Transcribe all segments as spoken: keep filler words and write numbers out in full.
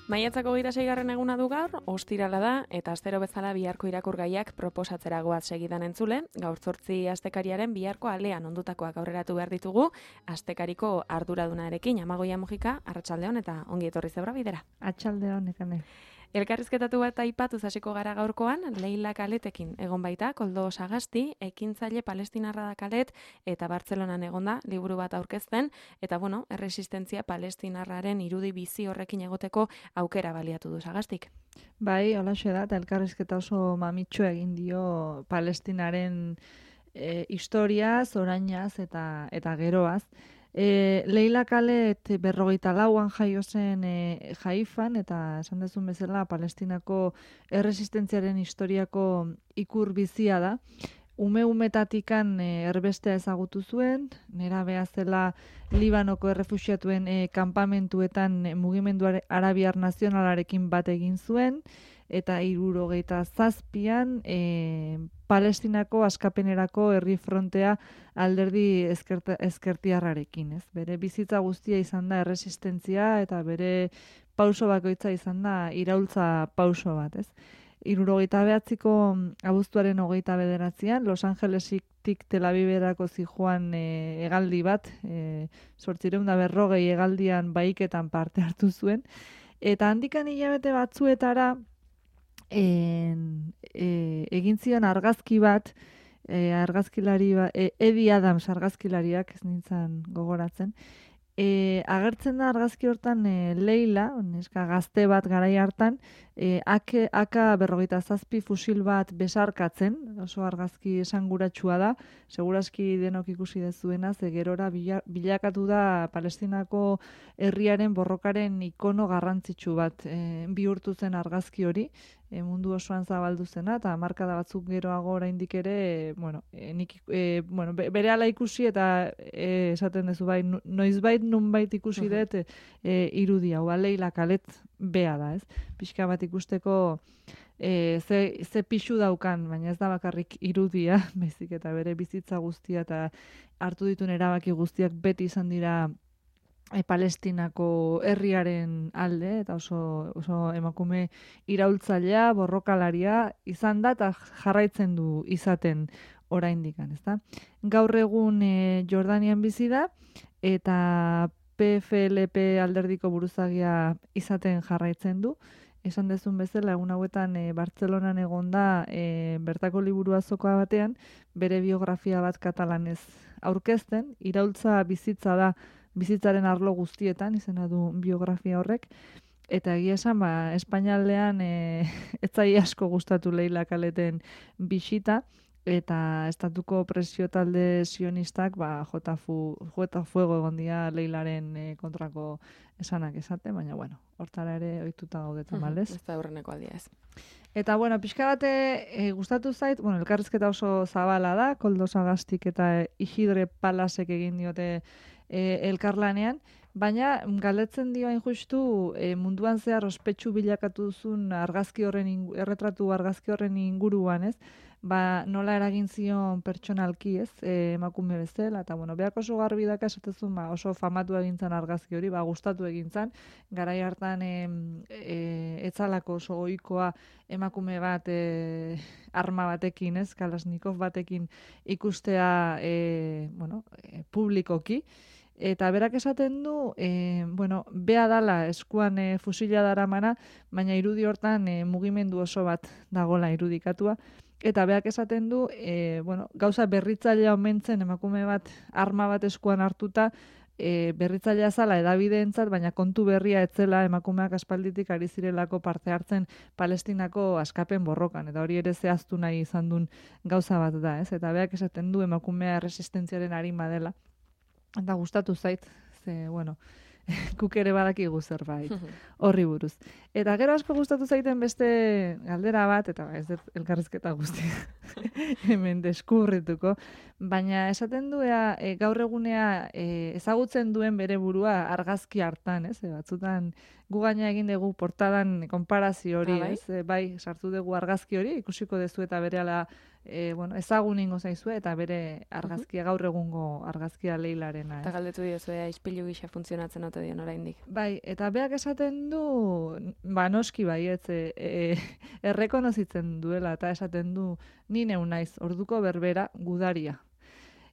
Maiatzako hogeita seigarren eguna du gaur, ostirala da, eta astero bezala biharko irakurgaiak proposatzera goaz segidan entzule, gaur zortzi astekariaren biharko alean ondutakoak aurreratu behar ditugu, astekariko arduradunarekin, Amagoia Mujika, arratsaldeon eta ongi etorri zebra bidera. Atxaldeon, ekane. Elkarrizketatu bat aipatuz hasiko gara gaurkoan, Leila Kaletekin egon baita, Koldo Sagasti, ekintzaile palestinarra da Kalet, eta Bartzelonan egonda, liburu bat aurkezten, eta bueno, erresistentzia palestinarraren irudi bizi horrekin egoteko aukera baliatu du Sagastik. Bai, holaxe da, eta elkarrizketa oso mamitxo egin dio Palestinaren e, historiaz, orainaz eta, eta geroaz. E, Leila Kalet berrogeita lauan jaio zen e, Haifan, eta esan dezun bezala Palestinako erresistentziaren historiako ikur bizia da. Ume-umetatikan e, erbestea ezagutu zuen, nerabea zela Libanoko errefuxiatuen e, kanpamentuetan e, mugimendu arabiar nazionalarekin bat egin zuen, eta hirurogeita zazpian e, Palestinako askapenerako herri frontea alderdi ezkerta, ezkertiarrarekin. Ez? Bere bizitza guztia izan da erresistentzia eta bere pauso bakoitza izan da iraultza pauso bat. Ez? Hirurogeita behatziko abuztuaren hogeita bederatzean, Los Angelesik Tel Aviverako zijoan e, hegaldi bat, e, zortziehun eta berrogei hegaldian baiketan parte hartu zuen, eta handikan hilabete batzuetara En, e, egin zion argazki bat, e, argazkilari ba, e, Eddie Adams argazkilariak, ez nintzen gogoratzen, e, agertzen da argazki hortan e, Leila, neska gazte bat garai hartan, e, ake, aka berrogeita zazpi fusil bat besarkatzen, oso argazki esanguratsua da, segurazki denok ikusi dezuena, ze gerora bila, bilakatu da Palestinako herriaren borrokaren ikono garrantzitsu bat, e, bihurtu zen argazki hori, E, mundu osoan zabaldu zena, eta markada batzuk geroago oraindik ere, e, bueno, e, nik, e, bueno, bere ala ikusi eta e, esaten duzu bai, noizbait nunbait ikusi dut e, e, irudia, hau Leila Kalet bea da, ez? Pixka bat ikusteko e, ze, ze pixu daukan, baina ez da bakarrik irudia, baizik eta bere bizitza guztia eta hartu dituen erabaki guztiak beti izan dira E, Palestinako herriaren alde, eta oso, oso emakume iraultzailea, borrokalaria izan da, eta jarraitzen du izaten oraindikan, ezta? Gaur egun e, Jordanian bizi da, eta P F L P alderdiko buruzagia izaten jarraitzen du. Esan dezun bezala, egun hauetan e, Bartzelonan egonda e, bertako liburu azokoa batean, bere biografia bat katalanez aurkezten, iraultza bizitza da, bizitzaren arlo guztietan, izena du biografia horrek, eta egia esan, ba, Espainialdean e, etzai asko gustatu Leila Kaleten bisita, eta estatuko presio talde sionistak, ba, jota, fu, jota fuego egon dia Leilaren e, kontrako esanak esate, baina, bueno, hortara ere ohituta gaudetan, malez? Ez da aurreneko aldia ez. Eta, bueno, pixka bate e, gustatu zait, bueno, elkarrizketa oso zabala da, Koldo Sagastik eta Isidre Palasek egin diote E, elkarlanean, baina galdetzen dio hain justu e, munduan zehar ospetsu bilakatu duzun argazki horren ingu, erretratu argazki horren inguruan, ez? Ba, nola eragin zion pertsonalki, ez? E, emakume bezala, eta bueno, beak oso garbi daka esatezun, ba, oso famatu egintzan argazki hori, ba, gustatu egintzan, garai hartan e, e, etzalako oso ohikoa emakume bat e, arma batekin, ez? Kalashnikov batekin ikustea e, bueno, e, publikoki. Eta berak esaten du, e, bueno, bea dala eskuan e, fusila daramana, baina irudi hortan e, mugimendu oso bat dagola irudikatua. Eta beak esaten du, e, bueno, gauza berritzailea omentzen emakume bat arma bat eskuan hartuta, e, berritzailea zala edabideentzat, baina kontu berria etzela emakumeak aspalditik ari zirelako parte hartzen Palestinako askapen borrokan. Eta hori ere zehaztu nahi izan duen gauza bat da, ez? Eta beak esaten du emakumea resistentziaren arima dela. Eta gustatu zait, ze, bueno, kuk ere badakigu zerbait horri buruz. Eta gero asko gustatu zaiten beste galdera bat, eta ez dut elkarrizketa guztia hemen deskubrituko, baina esaten duea e, gaur egunea e, ezagutzen duen bere burua argazki hartan, ez? E, batzutan gu gaina egin dugu portadan konparazio hori, ah, bai? ez? E, bai, sartu dugu argazki hori, ikusiko dezu eta berehala e, bueno, ezagun ingo zaizue, eta bere argazkia, gaur egungo argazkia Leilarena. Eta galdetu diozu, ea, ispilu gisa funtzionatzen ote dion oraindik. Bai, eta beak esaten du, ba, noski baietz, e, e, errekonozitzen duela, eta esaten du, ni neu naiz, orduko berbera gudaria.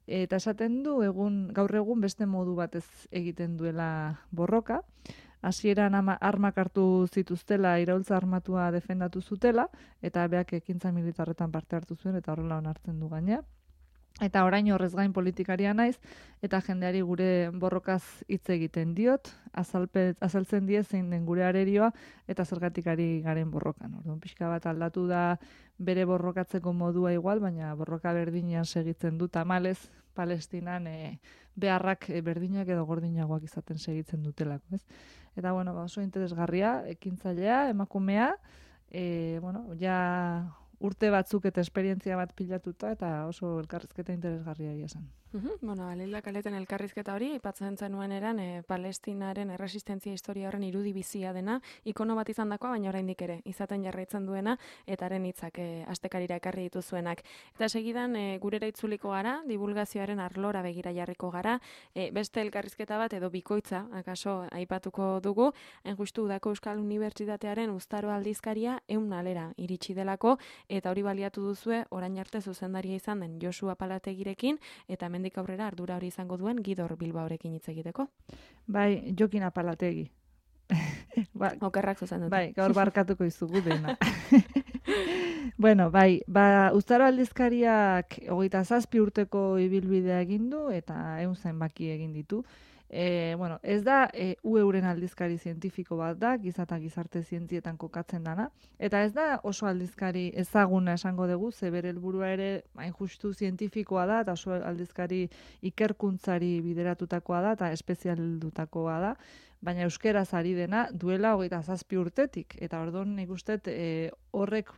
Eta esaten du, egun, gaur egun beste modu batez egiten duela borroka, hasieran ama armak hartu zituztela, iraultza armatua defendatu zutela, eta beak ekintza militarretan parte hartu zuen, eta horrela onartzen du gaina. Eta orain horrez gain politikaria naiz, eta jendeari gure borrokaz hitz egiten diot, azalpe, azaltzen die zein den gure arerioa, eta zergatik ari garen borrokan. Orduan, pixka bat aldatu da bere borrokatzeko modua igual, baina borroka berdinean segitzen du tamalez, Palestinan e, beharrak e, berdinak edo gordinagoak izaten segitzen dutelako, ez? Eta, bueno, ba, oso interesgarria, ekintzailea, emakumea, e, bueno, ja urte batzuk eta esperientzia bat pilatuta, eta oso elkarrizketa interesgarria egia zen. Uhum, bueno, Leila Kaleten elkarrizketa hori, aipatzen zenuen eran, e, Palestinaren erresistentzia historia horren irudi bizia dena, ikono bat izan dakoa, baina oraindik ere, izaten jarraitzen duena, eta haren hitzak e, astekarira ekarri dituzuenak. Eta segidan, e, gurera itzuliko gara, divulgazioaren arlora begira jarriko gara, e, beste elkarrizketa bat edo bikoitza, akaso aipatuko dugu, hain justu udako Euskal Unibertsitatearen uztaro aldizkaria ehun alera iritsi delako, eta hori baliatu duzue, orain arte zuzendaria izan den Josu Apalategirekin, eta hemendik aurrera ardura hori izango duen Gidor Bilbaorekin hitz egiteko. Bai, Jokin Apalategi. ba, Okerrak zuzen dut. Bai, gaur barkatuko izugu dena. Bueno, bai, ba, uztaro aldizkariak hogeita zazpi urteko ibilbidea egin du, eta ehun zenbaki egin ditu. E, bueno, ez da e, U euren aldizkari zientifiko bat da, giza eta gizarte zientzietan kokatzen dana, eta ez da oso aldizkari ezaguna esango dugu, ze bere helburua ere hain justu zientifikoa da, eta oso aldizkari ikerkuntzari bideratutakoa da, eta espezialdutakoa da, baina euskeraz ari dena duela hogeita zazpi urtetik, eta orduan nik uste e, horrek,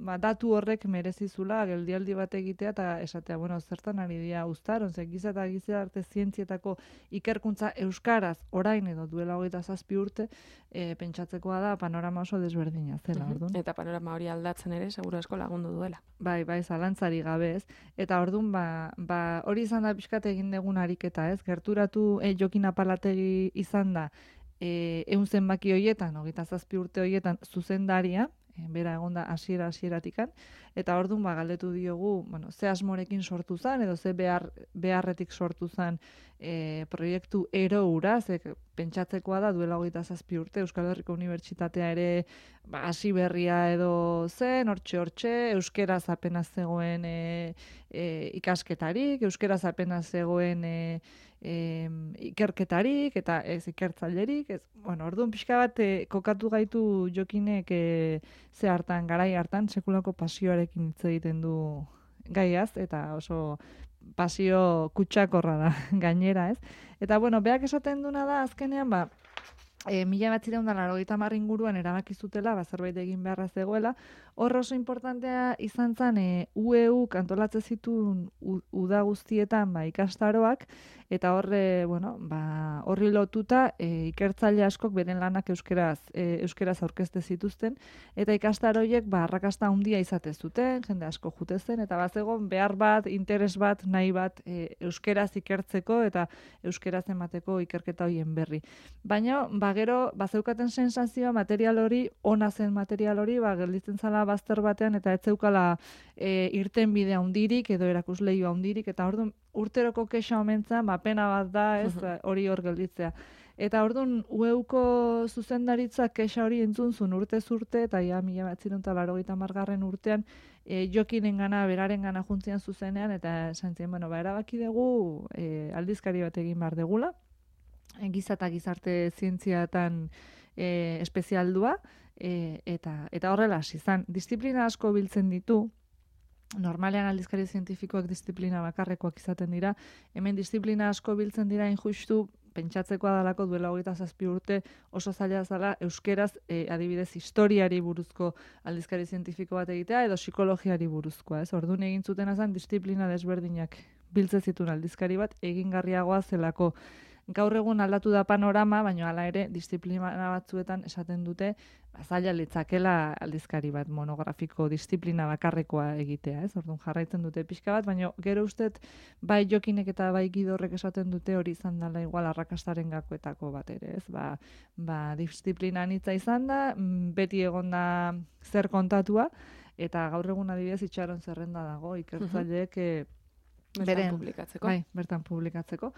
ba, datu horrek merezizula geldialdi bat egitea, eta esatea, bueno, zertan ari dira uztaron, ze giza eta gizarte zientzietako ikerkuntza euskaraz orain edo duela hogeita zazpi urte, e, pentsatzekoa da panorama oso desberdina zela, orduan. Eta panorama hori aldatzen ere, seguru asko lagundu duela. Bai, bai, zalantzari gabe ez. Eta orduan, ba, ba, hori izan da pixkat egin dugun ariketa, ez? Gerturatu e, Jokin Apalategi izan da, e, ehun zenbaki hoietan, hogeita zazpi urte hoietan zuzendaria, e, bera egonda hasiera hasieratikan, eta orduan ba galdetu diogu, bueno, ze asmorekin sortu zen edo ze behar, beharretik sortu zen e, proiektu ero hura, ze pentsatzekoa da duela hogeita zazpi urte Euskal Herriko Unibertsitatea ere ba, hasi berria edo zen, hortxe hortxe, euskeraz apenas zegoen e, e, ikasketarik, euskeraz apenas zegoen e, e, ikerketarik eta ez ikertzailerik, ez, bueno, orduan pixka bat e, kokatu gaitu Jokinek e, ze hartan, garai hartan, sekulako pasioarekin hitz egiten du gaiaz, eta oso pasio kutsakorra da gainera, ez? Eta, bueno, beak esaten duna da, azkenean, ba, e, mila batzireun da laurogeita hamar inguruan erabaki zutela, ba, zerbait egin beharra zegoela, hor oso importantea izan zen, e, U E U antolatzen zituen uda guztietan ba, ikastaroak, eta horre, bueno, ba, horri lotuta e, ikertzaile askok beren lanak euskeraz, e, euskeraz aurkezte zituzten, eta ikastaroiek ba, arrakasta handia izate zuten, jende asko jute zen, eta bazegon behar bat, interes bat, nahi bat e, euskeraz ikertzeko eta euskeraz emateko ikerketa horien berri. Baina, ba, gero, bazeukaten sensazioa material hori, ona zen material hori, ba, gelditzen zala bazter batean, eta ez zeukala e, irten bidea hundirik, edo erakusleioa hundirik, eta orduan urteroko kexa omentzan, ba, pena bat da, ez, hori hor gelditzea. Eta orduan, U E Uko zuzendaritzak kexa hori entzunzun urte zurte, eta ja, mila batzireun eta laurogeita hamargarren urtean, e, Jokinen gana, beraren gana juntzian zuzenean, eta esan zien, bueno, ba, erabaki dugu e, aldizkari bat egin behar degula, e, giza eta gizarte zientziatan e, espezialdua, e, eta, eta horrela hasi izan. Disiplina asko biltzen ditu, normalean aldizkari zientifikoak disiplina bakarrekoak izaten dira, hemen disiplina asko biltzen dira injustu, pentsatzekoa dalako duela hogeita zazpi urte oso zaila zala euskeraz e, adibidez historiari buruzko aldizkari zientifiko bat egitea edo psikologiari buruzkoa, ez? Orduan egin zuten azan disiplina desberdinak biltzen zituen aldizkari bat egingarriagoa zelako. gaur egun aldatu da panorama, baina hala ere disiplina batzuetan esaten dute zaila litzakela aldizkari bat monografiko disiplina bakarrekoa egitea, ez? Orduan jarraitzen dute pixka bat, baina gero ustet bai Jokinek eta bai Gidorrek esaten dute hori izan dela igual arrakastaren gakoetako bat ere, ez? Ba, ba disiplina anitza izan da, beti egonda zer kontatua, eta gaur egun adibidez itxaron zerrenda dago, ikertzaileek uh-huh. Bertan beren, publikatzeko. Bai, bertan publikatzeko.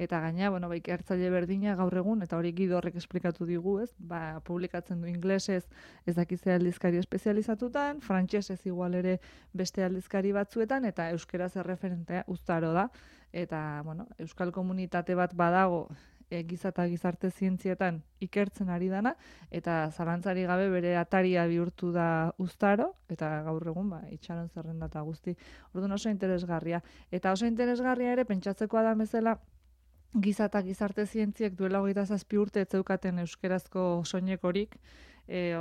Eta gaina, bueno, bai, ikertzaile berdina gaur egun, eta hori Gidorrek esplikatu digu, ez? Ba, publikatzen du inglesez ez dakizea aldizkari espezializatutan, frantsesez igual ere beste aldizkari batzuetan, eta euskeraz erreferentea Uztaro da. Eta, bueno, euskal komunitate bat badago, E, giza eta gizarte zientzietan ikertzen ari dana, eta zalantzari gabe bere ataria bihurtu da Uztaro, eta gaur egun ba, itxaron zerrenda eta guzti. Orduan oso interesgarria. Eta oso interesgarria ere, pentsatzekoa da bezala, giza eta gizarte zientziek duela hogeita zazpi urte ez zeukaten euskerazko soinekorik, e,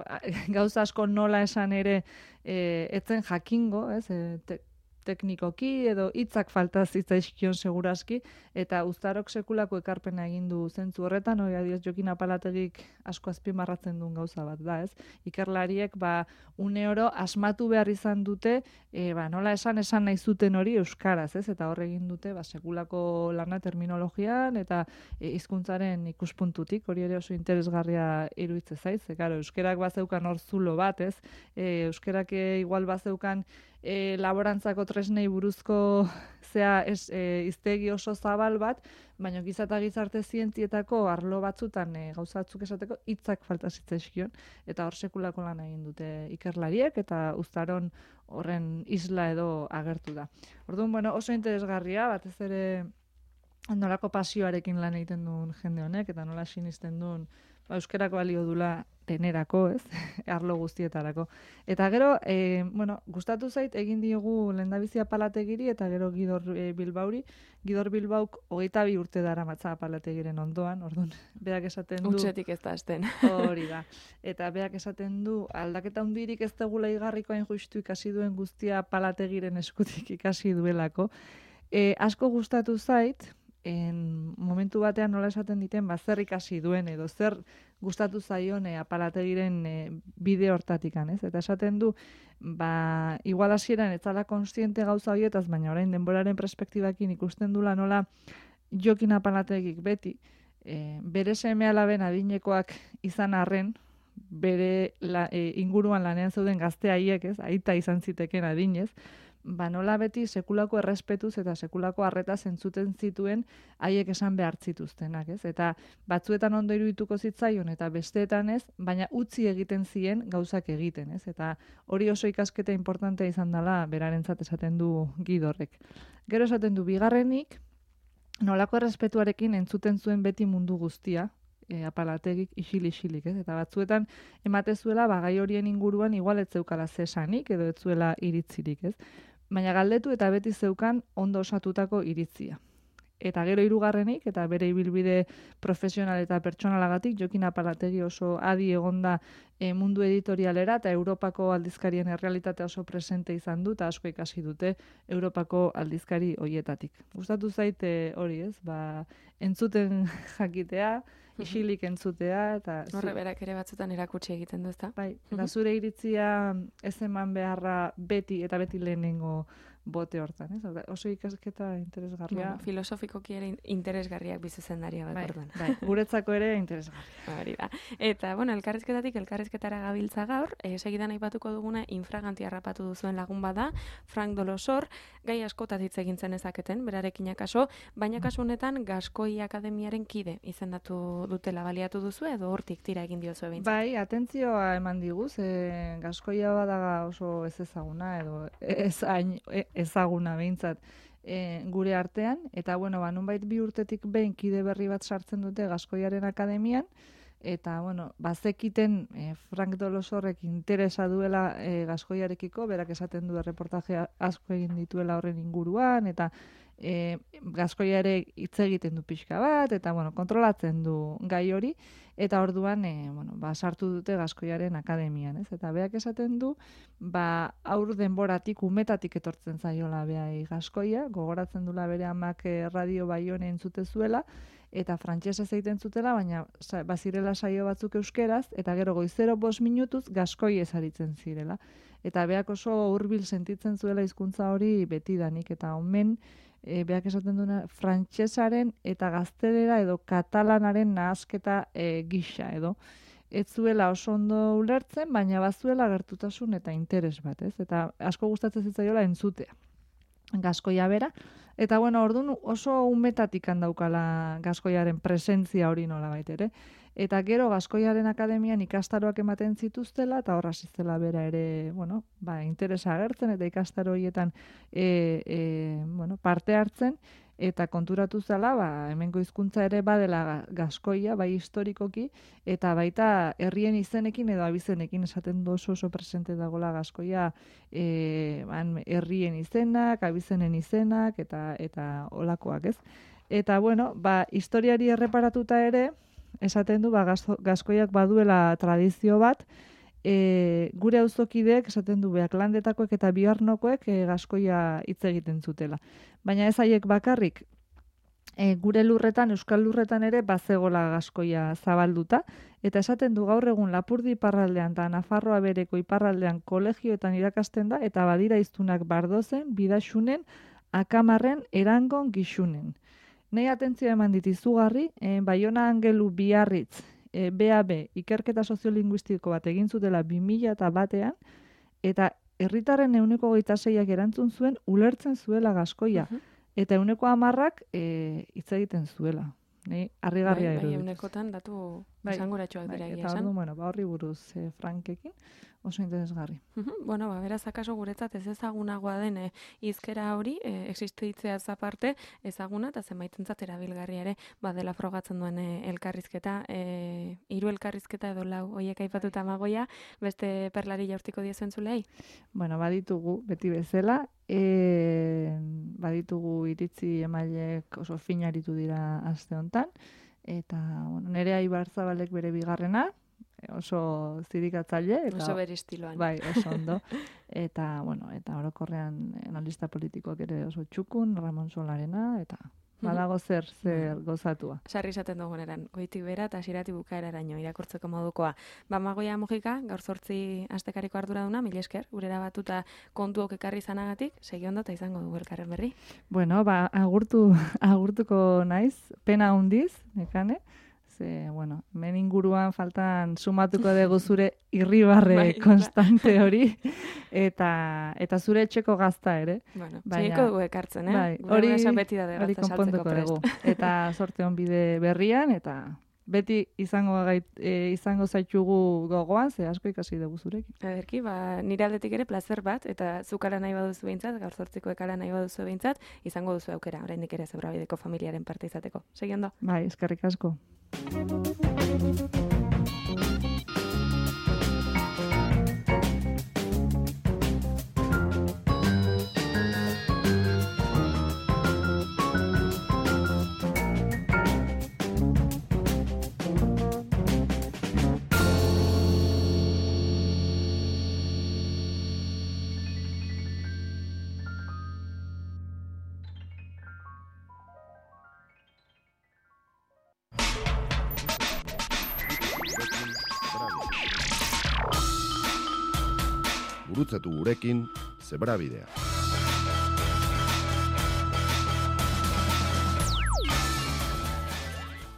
gauza asko nola esan ere e, etzen jakingo, ez, e, te, teknikoki edo hitzak falta zitzaizkion segurazki, eta Uztarok sekulako ekarpena egin du zentzu horretan, hori adioz Jokin Apalategik asko azpimarratzen duen gauza bat da, ez? Ikerlariek ba une oro asmatu behar izan dute, e, ba, nola esan esan nahi zuten hori euskaraz, ez? Eta hor egin dute ba sekulako lana terminologian eta e, hizkuntzaren ikuspuntutik, hori ere oso interesgarria iruditze zait, ze claro, euskerak bazeukan hor zulo bat, ez? E, euskerak e, igual bazeukan E, laborantzako tresnei buruzko zea ez, e, iztegi oso zabal bat, baina giza eta gizarte zientzietako arlo batzutan e, gauza batzuk esateko hitzak falta zitzaizkion, eta hor sekulako lan egin dute ikerlariek, eta Uztaron horren isla edo agertu da. Orduan, bueno, oso interesgarria, batez ere nolako pasioarekin lan egiten duen jende honek, eta nola sinisten duen ba, euskerako balio dula denerako, ez? Arlo guztietarako. Eta gero, e, bueno, gustatu zait, egin diogu lehendabizi Apalategiri eta gero Gidor e, Bilbauri. Gidor Bilbauk hogeita bi urte dara matza Apalategiren ondoan, orduan, berak esaten du... Utsetik ez da azten. Hori da. Eta berak esaten du, aldaketa hundirik ez degula igarriko hain justu ikasi duen guztia Apalategiren eskutik ikasi duelako. E, asko gustatu zait, en momentu batean nola esaten diten, ba, zer ikasi duen edo zer gustatu zaion e, Apalategiren e, bide hortatikan, ez? Eta esaten du, ba, igual hasieran ez zala konstiente gauza horietaz, baina orain denboraren perspektibakin ikusten dula nola Jokin Apalategik beti, e, bere seme alaben adinekoak izan arren, bere la, e, inguruan lanean zeuden gazte haiek, ez? Aita izan ziteken adinez, ba nola beti sekulako errespetuz eta sekulako harretaz entzuten zituen haiek esan behar zituztenak, ez? Eta batzuetan ondo irudituko zitzaion eta besteetan ez, baina utzi egiten zien gauzak egiten, ez? Eta hori oso ikasketa importantea izan dela berarentzat esaten du Gidorrek. Gero esaten du bigarrenik, nolako errespetuarekin entzuten zuen beti mundu guztia, E, Apalategik isil-isilik, ez? Eta batzuetan emate zuela, ba, gai horien inguruan igual ez zeukala zesanik edo ez zuela iritzirik, ez? Baina galdetu eta beti zeukan ondo osatutako iritzia. Eta gero hirugarrenik, eta bere ibilbide profesional eta pertsonalagatik, Jokin Apalategi oso adi egonda e, mundu editorialera eta Europako aldizkarien errealitatea oso presente izan du, eta asko ikasi dute Europako aldizkari hoietatik. Gustatu zaite hori, ez? Ba, entzuten jakitea, isilik entzutea, eta... Horre berak ere batzutan erakutsi egiten du, ezta? Bai, eta zure iritzia ez eman beharra beti eta beti lehenengo bote hortan, ez? Oso ikasketa interesgarria. Bueno, filosofikoki ere interesgarriak bizuzendaria bat, bai, orduan. Bai, guretzako ere interesgarria. Hori da. Eta, bueno, elkarrizketatik elkarrizketara gabiltza gaur, e, segidan aipatuko duguna infraganti harrapatu duzuen lagun bada, Frank Dolosor, gai askotaz hitz egin zen ezaketen, berarekin akaso, baina kasu honetan Gaskoi Akademiaren kide izendatu dutela baliatu duzu edo hortik tira egin diozu behintzat. Bai, atentzioa eman diguz, e, Gaskoia badaga oso ez ezaguna edo ez hain ezaguna behintzat e, gure artean, eta bueno, ba, nunbait bi urtetik behin kide berri bat sartzen dute Gaskoiaren Akademian, eta bueno, bazekiten e, Frank Dolosorrek interesa duela e, Gaskoiarekiko, berak esaten du erreportaje asko egin dituela horren inguruan, eta e, Gaskoia ere hitz egiten du pixka bat, eta bueno, kontrolatzen du gai hori, eta orduan e, bueno, ba, sartu dute Gaskoiaren Akademian, ez? Eta beak esaten du, ba, aur denboratik, umetatik etortzen zaiola behai Gaskoia, gogoratzen dula bere amak e, radio Baione entzute zuela, eta frantsesez egiten zutela, baina bazirela saio batzuk euskeraz, eta gero goizero bost minutuz gaskoiez aritzen zirela. Eta beak oso hurbil sentitzen zuela hizkuntza hori betidanik, eta omen, e, beak esaten duena, frantsesaren eta gaztelera edo katalanaren nahasketa e, gisa edo. Ez zuela oso ondo ulertzen, baina bazuela gertutasun eta interes bat, ez? Eta asko gustatzen zitzaiola entzutea. Gaskoia bera. Eta bueno, orduan oso umetatik handaukala gaskoiaren presentzia hori nolabait ere. Eta gero Gaskoiaren Akademian ikastaroak ematen zituztela, eta horra ziztela bera ere, bueno, ba, interesa agertzen, eta ikastaro horietan e, e, bueno, parte hartzen, eta konturatu zela, ba, hemengo hizkuntza ere badela gaskoia, bai historikoki, eta baita herrien izenekin edo abizenekin esaten du oso oso presente dagoela gaskoia, e, ban, herrien izenak, abizenen izenak, eta eta olakoak, ez? Eta, bueno, ba, historiari erreparatuta ere, esaten du, ba, gaskoiak baduela tradizio bat, e, gure auzokideek esaten du beak landetakoek eta biharnokoek e, gaskoia hitz egiten zutela. Baina ez haiek bakarrik, e, gure lurretan, euskal lurretan ere bazegola gaskoia zabalduta, eta esaten du gaur egun Lapurdi iparraldean eta Nafarroa bereko iparraldean kolegioetan irakasten da, eta badira hiztunak Bardozen, Bidaxunen, Akamarren, Erangon, Gixunen. Nei atentzioa eman dit izugarri, eh, Baiona Angelu Biarritz, eh, B A B, ikerketa soziolinguistiko bat egin zutela bi mila batean, eta herritarren ehuneko hogeita seiak erantzun zuen ulertzen zuela gaskoia, uh-huh. eta ehuneko hamarrak eh, hitz egiten zuela. Nei, harrigarria bai, bai, iruditu. eunekotan datu esanguratsuak dira egia Eta esan. ordu, bueno, ba, horri buruz eh, Frankekin oso interesgarri. Uh-huh. Bueno, ba, beraz, akaso guretzat ez ezagunagoa den eh, hizkera hori, eh, existitzeaz aparte, ezaguna eta zenbaitentzat erabilgarria ere, badela frogatzen duen eh, elkarrizketa, eh, hiru elkarrizketa edo lau hoiek aipatuta Amagoia, beste perlari jaurtiko diezuen zulei? Bueno, baditugu, beti bezala, e, baditugu iritzi emaileek oso finaritu dira aste hontan, eta bueno, Nerea Ibarzabalek bere bigarrena, oso zirikatzaile, eta oso bere estiloan. Bai, oso ondo. Eta bueno, eta orokorrean analista politikoak ere oso txukun, Ramon Solarena, eta badago zer, zer gozatua. Sarri izaten duguneran, goitik bera eta hasieratik bukaeraraino irakurtzeko modukoa. Ba, Amagoia Mujika, gaur zortzi astekariko arduraduna, mila esker, gurera batuta kontuok ekarri izanagatik, segi ondo eta izango dugu elkarren berri. Bueno, ba, agurtu, agurtuko naiz, pena hundiz, nekane, ze, bueno, hemen inguruan faltan sumatuko dugu zure irribarre bai, konstante hori, eta eta zure etxeko gazta ere. Bueno, segiko dugu ekartzen, eh? Bai, hori, beti da hori konpontuko dugu. Eta sorte on bide berrian, eta beti izango gait, e, izango zaitugu gogoan, ze asko ikasi dugu zurekin. Ederki, ba, nire aldetik ere plazer bat, eta zukala nahi baduzu behintzat, gaur zortziko ekala nahi baduzu behintzat, izango duzu aukera, oraindik ere Zebrabideko familiaren parte izateko. Segi ondo? Bai, eskerrik asko. Gurutzatu gurekin Zebrabidea.